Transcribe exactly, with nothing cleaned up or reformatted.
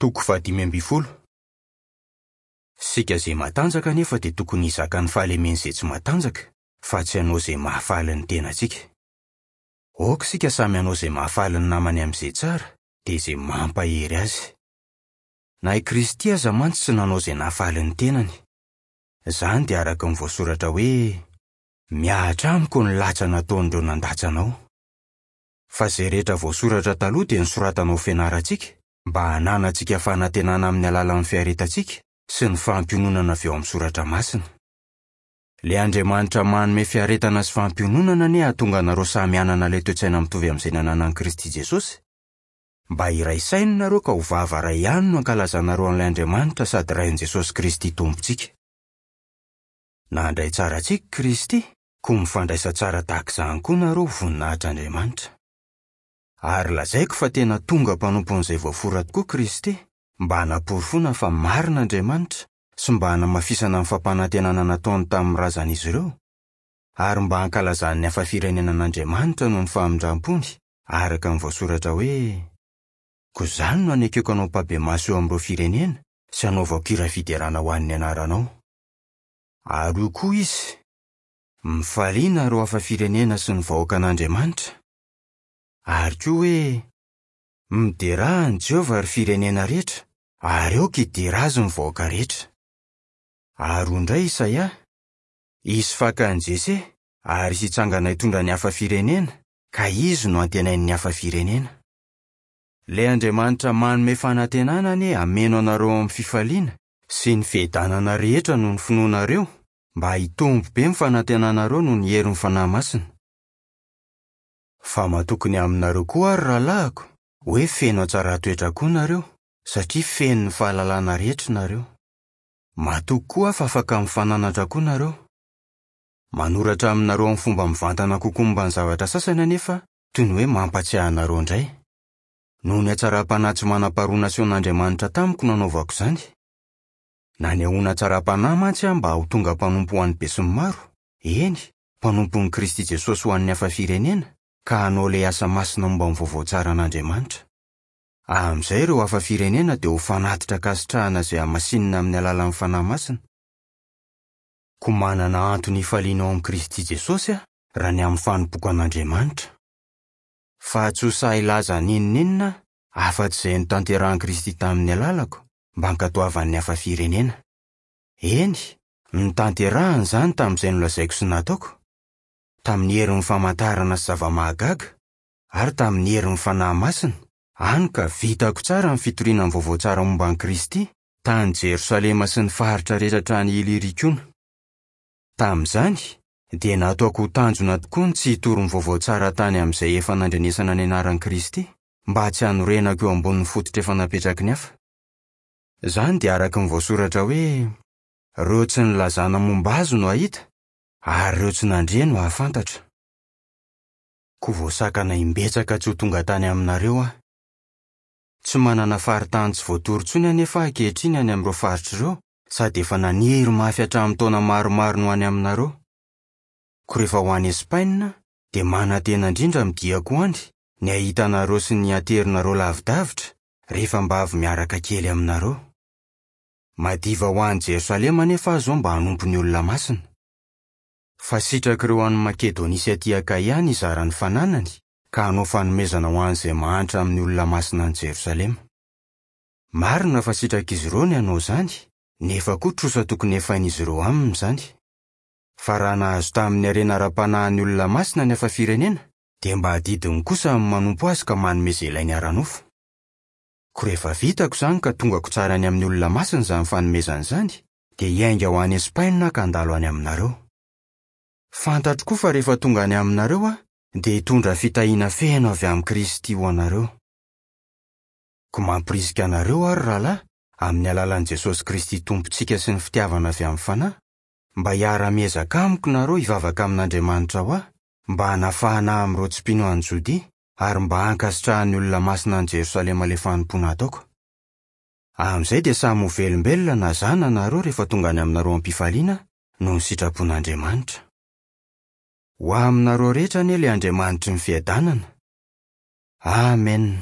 Toko fahadimy ambin'ny folo. Isika izay matanjaka anefa dia tokony hizaka ny fahalemen'izay tsy matanjaka, fa tsy hanao izay mahafaly ny tenantsika. Aoka isika samy hanao izay mahafaly ny namany amin'izay tsara, dia izay mampahery azy. Na i Kristy aza mantsy tsy nanao izay nahafaly ny tenany. Izany dia araka ny voasoratra hoe: "Mihatra amiko ny latsa nataon'ireo nandatsa anao." Fa izay rehetra voasoratra taloha dia nosoratana ho fianarantsika, mba hananantsika fanantenana amin'ny alalan'ny fiaretantsika sy ny fampiononana avy ao amin'ny soratra masina. Ilay Andriamanitra manome fiaretana sy fampiononana anie hahatonga anareo samy hanana ilay toe-tsaina mitovy amin'izay nananan'i Kristy Jesosy, mba hiray saina nareo ka ho vava iray ihany no hankalazanareo an'ilay Andriamanitra sady Rain'i Jesosy Kristy Tompontsika. Nandray tsara antsika Kristy, koa mifandraisa tsara tahaka izany koa nareo ho voninahitr'Andriamanitra. Ary lazaiko fa tena tonga mpanompon'izay voafora tokoa Kristy, mba hanaporofoana fa marina Andriamanitra sy mba hanamafisana ny fampanantenana nataony tamin'ny razan'izy ireo, ary mba hankalazan'ny hafa firenena an'Andriamanitra noho ny famindrampony, araka ny voasoratra hoe: "Koa izany no anekeko anao mpabemaso eo amin'ireo firenena sy hanaovako hira fiderana ho an'ny anaranao." Ary hoy koa izy: "Mifalia nareo hafa firenena sy ny vahoakan'Andriamanitra." Ary koa hoe: "Miderà an'i Jehovah ry firenena rehetra, ary aoka hidera azy ny vahoaka rehetra." Ary hoy indray Isaia: "Hisy fakan'i Jese, ary hisy hitsangana hitondra ny hafa firenena, ka izy no antenain'ny hafa firenena." Ilay Andriamanitra manome fanantenana anie hameno anareo amin'ny fifaliana sy ny fiadanana rehetra noho ny finoanareo, mba hitombo be ny fanantenanareo noho ny herin'ny Fanahy Masina. Fa matoky ny aminareo koa ary rahalahiko, hoe feno hatsaran-toetra koa nareo, satria feno ny fahalalana rehetra nareo. Matoky koa aho fa afaka mifananatra koa nareo. Manoratra aminareo amin'ny fomba mivantana kokoa momba ny zavatra sasany anefa, toy ny hoe mampatsiahy anareo indray. Noho ny hatsaram-panahy tsy manam-paharoa nasehon'Andriamanitra tamiko no nanaovako izany. Nanehoana hatsaram-panahy mantsy aho mba ho tonga mpanompo ho an'ny besinimaro, eny, mpanompon'i Kristy Jesosy ho an'ny hafa firenena, ka hanao ilay asa masina momba ny vaovao tsaran'Andriamanitra. Amin'izay ireo hafa firenena dia ho fanatitra ankasitrahana izay hamasinina amin'ny alalan'ny Fanahy Masina. Koa manana antony hifaliana ao amin'i Kristy Jesosy aho raha ny amin'ny fanompoako an'Andriamanitra. Fa tsy ho sahy hilaza n'inon'inona aho afa-tsy izay notanterahin'i Kristy tamin'ny alalako, mba hankatoavan'ny hafa firenena. Eny, notanterahiny izany tamin'izay nolazaiko sy nataoko, tamin'ny herin'ny famantarana sy zava-mahagaga, ary tamin'ny herin'ny Fanahy Masina, hany ka vitako tsara ny fitoriana ny vaovao tsara momba an'i Kristy tany Jerosalema sy ny faritra rehetra hatrany Ilirikona. Tamin'izany, dia nataoko ho tanjona tokoa ny tsy hitory ny vaovao tsara tany amin'izay efa nandrenesana ny anaran'i Kristy, mba tsy hanorenako eo ambonin'ny fototra efa napetraky ny hafa. Izany dia araka ny voasoratra hoe: "Ireo tsy nilazana momba azy no hahita, ary ireo tsy nandre no hahafantatra." Koa voasakana imbetsaka tsy ho tonga tany aminareo aho. Tsy manana faritany tsy voatory intsony anefa aho ankehitriny any amin'ireo faritra ireo, sady efa naniry mafy hatramin'ny taona maromaro no any aminareo. Koa rehefa ho any Espaina, dia manantena indrindra amin'ny diako any ny hahita anareo sy ny haterinareo lavidavitra, rehefa mba avy miaraka kely aminareo. Madiva ho any Jerosalema anefa aho izao mba hanompo ny olona masina. Fa sitrak'ireo any Makedonia sy aty Akaia ny hizara ny fananany, ka hanao fanomezana ho an'izay mahantra amin'ny olona masina any Jerosalema. Marina fa sitrak'izy ireo ny hanao izany, nefa koa trosa tokony hefain'izy ireo aminy izany. Fa raha nahazo tamin'ny harena ara-panahin'ny olona masina ny hafa firenena, dia mba adidiny kosa ny manompo azy ka manome izay ilainy ara-nofo. Koa rehefa vitako izany ka tongako tsara any amin'ny olona masina izany fanomezana izany, dia hiainga ho any Espaina ka handalo any aminareo. Fantatro koa fa rehefa tonga any aminareo aho, dia hitondra fitahiana feno avy amin'i Kristy ho anareo. Koa mampirisika anareo aho ry rahalahy, amin'ny alalan'i Jesosy Kristy Tompontsika sy ny fitiavana avy amin'ny Fanahy, mba hiara-miezaka amiko nareo hivavaka amin'Andriamanitra ho ahy, mba hanafahana ahy amin'ireo tsy mpino any Jodia, ary mba hankasitrahan'ny olona masina any Jerosalema ilay fanompoana ataoko. Amin'izay dia samy ho velombelona na izaho na nareo rehefa tonga any aminareo am-pifaliana noho ny sitrapon'Andriamanitra. Ho aminareo rehetra anie ilay Andriamanitry ny fiadanana. Amen.